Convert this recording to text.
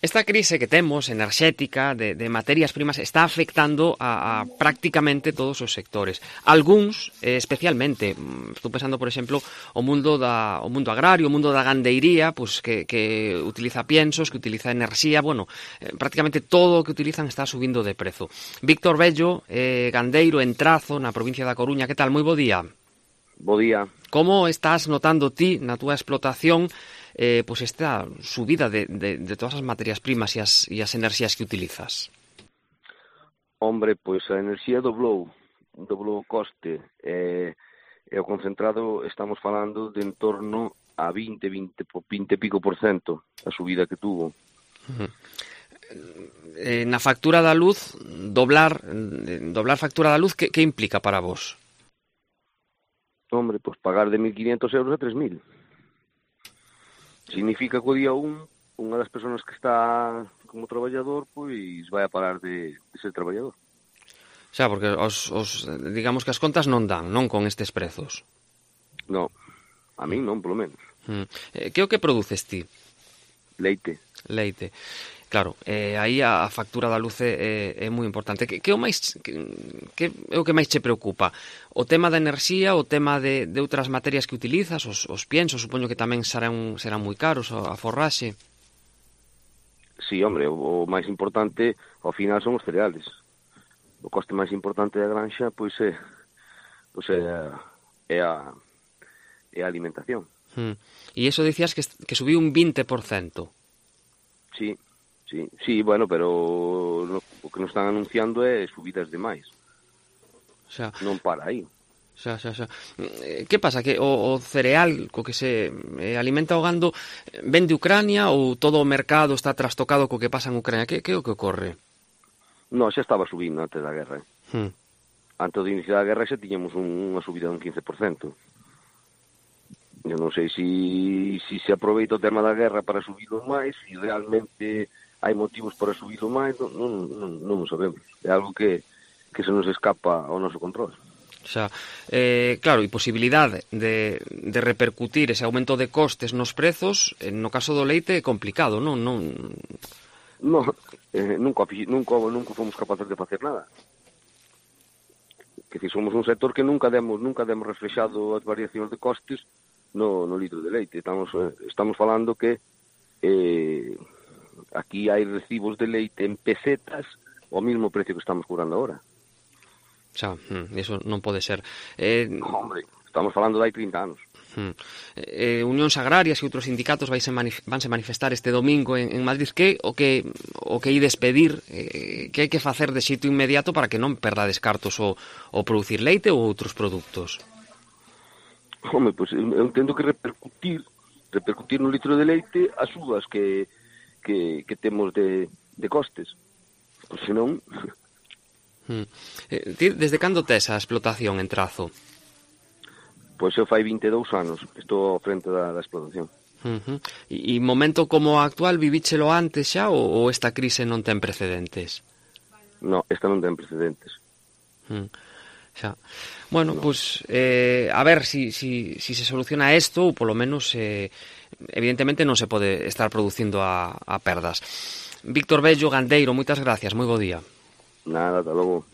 Esta crise que temos enerxética de materias primas está afectando a prácticamente todos os sectores. Algúns, especialmente, estou pensando, por exemplo, o mundo agrario, o mundo da gandeiría, pues, que utiliza piensos, que utiliza enerxía, prácticamente todo o que utilizan está subindo de prezo. Víctor Bello, gandeiro en Trazo, na provincia da Coruña, que tal? Moi bo día. Bo día. Como estás notando ti na túa explotación pois esta subida de todas as materias primas e as enerxías que utilizas? Hombre, pois a enerxía doblou o coste, e o concentrado estamos falando de en torno a 20 e pico por cento a subida que tuvo. Na factura da luz, doblar factura da luz, que implica para vos? Hombre, pois pagar de 1.500 euros a 3.000. Significa que o día unha das persoas que está como traballador, pois vai a parar de ser traballador. Xa, porque digamos que as contas non dan, non con estes prezos. Non, a min non, polo menos. Que é o que produces ti? Leite. Claro, aí a factura da luz é moi importante. Que é o que máis che preocupa? O tema da enerxía, o tema de outras materias que utilizas, os piensos, supoño que tamén serán moi caros, a forraxe? Sí, hombre, o máis importante ao final son os cereales. O coste máis importante da granxa pois é a alimentación. E iso dicías que subiu un 20%. Sí, bueno, pero o que nos están anunciando é subidas demais. Xa. Non para aí. Xa. Que pasa? Que o cereal co que se alimenta o gando ven de Ucrania ou todo o mercado está trastocado co que pasa en Ucrania? Que é o que ocorre? Non, xa estaba subindo antes da guerra. Antes do inicio da guerra xa tiñamos unha subida dun 15%. Eu non sei se aproveita o tema da guerra para subirlo máis, se realmente hai motivos para subirlo máis, non o sabemos. É algo que se nos escapa ao noso control. Xa, claro, e posibilidade de repercutir ese aumento de costes nos prezos, no caso do leite é complicado, non? Non, nunca fomos capaces de facer nada. Que si somos un sector que nunca demos reflexado as variacións de costes no litro de leite. Estamos falando que aquí hai recibos de leite en pesetas ao mesmo precio que estamos cobrando agora. Xa, iso non pode ser. Hombre, estamos falando de hai 30 anos. Unións agrarias e outros sindicatos vanse manifestar este domingo en Madrid. Que o que ides pedir, que hai que facer de xeito inmediato para que non perdades cartos o producir leite ou outros produtos? Home, pois eu entendo que repercutir no litro de leite as subas que temos de costes. Pois senón... Desde cando tes a explotación en Trazo? Pois eu fai 22 anos que estou ao frente da explotación. E momento como o actual, vivíchelo antes xa ou esta crise non ten precedentes? Non, esta non ten precedentes. Xa. Bueno, pois a ver si se soluciona isto, ou polo menos evidentemente non se pode estar producindo a perdas. Víctor Bello, gandeiro, moitas gracias, moi bo día. Nada, ata logo.